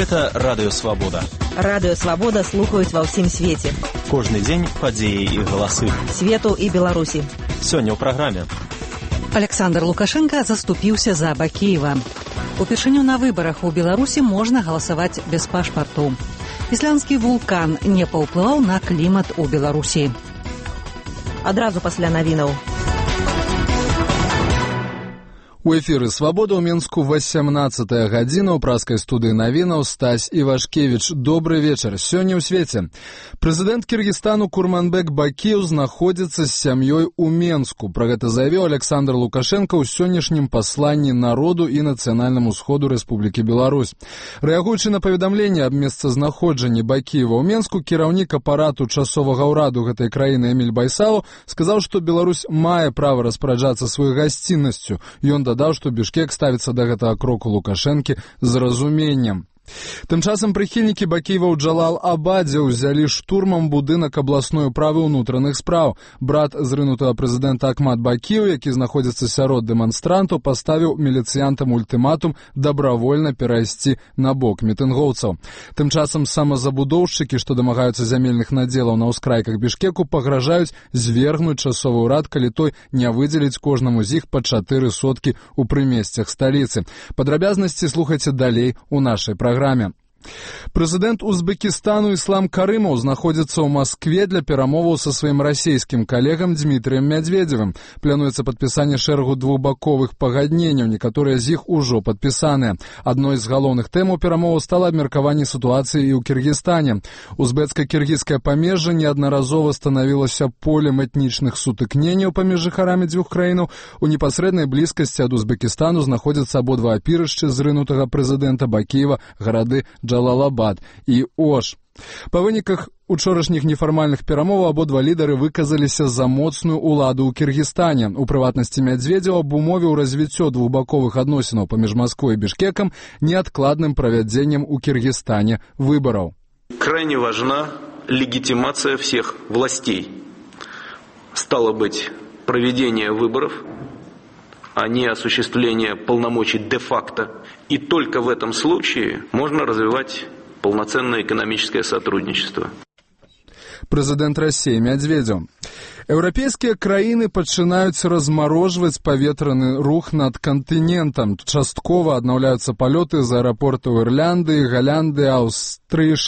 Гэта Радыё Свабода. Радыё Свабода слухаюць ва ўсім свеце. Кожны дзень падзеі і галасы Свету і Беларусі. Сёння ў праграме. Александр Лукашенко заступіўся за Бакіева. Упершыню на выбарах у Беларусі можна галасаваць без пашпарту. Ісландскі вулкан не паўплываў на клімат у Беларусі. Адразу пасля навінаў. У эфіры «Свабода» ў Мінску 18-я гадзіна. У праскай студыі навінаў Стась Івашкевіч. Добры вечар. Сёння ў свеце. Прэзідэнт Кіргізстану Курманбек Бакіев знаходзіцца з сям'ёй у Менску. Пра гэта заявіў Александр Лукашенко ў сённяшнім пасланні народу і нацыянальнаму сходу Рэспублікі Беларусь. Рэагуючы на паведамленне аб месцазнаходжанні Бакіева ў Менску, кіраўнік апарату часовага ўраду гэтай краіны Эміль Байсалаў сказаў, што Беларусь мае права распараджацца сваёй гасціннасцю. Ён дадаў, што Бішкек ставіцца да гэтага кроку Лукашэнкі з разуменнем. Тым часам прыхільнікі Бакіева ў Джалал-Абадзе ўзялі штурмам будынак абласной управы ўнутраных спраў. Брат зрынутага прэзідэнта Ахмад Бакіев, які знаходзіцца сярод дэманстрантаў, паставіў міліцыянтам ультыматум дабравольна перайсці на бок мітынгоўцаў. Тым часам самазабудоўшчыкі, што дамагаюцца зямельных надзелаў на ўскрайках Бішкеку, пагражаюць звергнуць часовы ўрад, калі той не выдзеліць кожнаму з іх па 4 соткі ў прымесцях сталіцы. Падрабязнасці слухайце далей у нашай праграме. Прэзідэнт Узбекістану Іслам Карымаў знаходзіцца ў Маскве для перамоваў са сваім расійскім калегам Дмітрыем Мядзведзевым. Плануецца падпісанне шэрагу двухбаковых пагадненняў, некаторыя з іх ужо падпісаныя. Адной з галоўных тэмаў перамоваў стала абмеркаванне сітуацыі і ў Кіргізстане. Узбецка-кіргізскае памежжа неаднаразова станавілася полем этнічных сутыкненняў паміж жыхарамі дзвюх краінаў. У непасрэднай блізкасці ад Узбекістану знаходзяцца абодва апірышчы зрынутага прэзідэнта Бакіева, гарады Джалал-Абад і Ош. Па выніках учорашніх нефармальных перамоваў абодва лідары выказаліся за моцную ўладу ў Кіргізстане. У прыватнасці Мядзведзеў абумовіў развіццё двухбаковых адносінаў паміж Масквой і Бішкекам неадкладным правядзеннем у Кіргізстане выбараў. Крайне важна легитимация всех властей. Стало быть, проведение выборов, а не осуществление полномочий де-факто. И только в этом случае можно развивать полноценное экономическое сотрудничество. Прэзідэнт Расіі Мядзведзеў. Еўрапейскія краіны пачынаюць размарожваць паветраны рух над кантынентам. Часткова аднаўляюцца палёты з аэрапортаў Ірландыі, Галандыі, Аўстрыі,